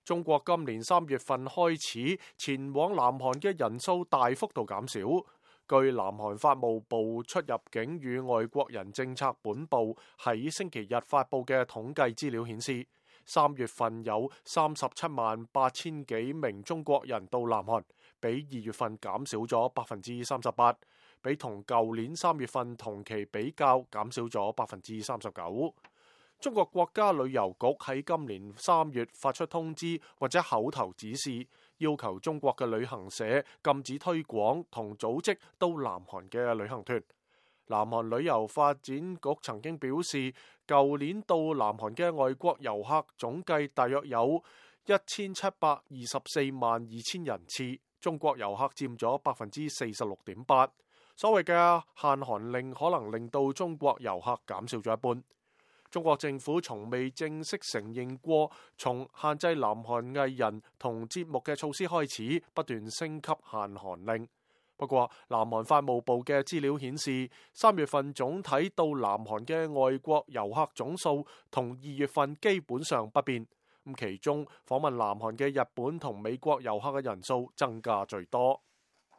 中國今年3月份開始前往南韓嘅人數大幅度減少。據南韓法務部出入境與外國人政策本部喺星期日發布嘅統計資料顯示，3月份有37萬8千幾名中國人到南韓，比2月份減少咗38%，比同舊年3月份同期比較減少咗39%。中國國家旅遊局喺今年3月發出通知或者口頭指示，要求中國嘅旅行社禁止推廣同組織到南韓嘅旅行團。南韓旅遊發展局曾經表示，舊年到南韓嘅外國遊客總計大約有1724萬2千人次，中國遊客佔咗46.8%。所謂嘅限韓令可能令到中國遊客減少咗一半。中國政府從未正式承認過，從限制南韓藝人同節目嘅措施開始，不斷升級限韓令。不過，南韓法務部嘅資料顯示，3月份總體到南韓嘅外國遊客總數同2月份基本上不變。咁其中訪問南韓嘅日本同美國遊客嘅人數增加最多。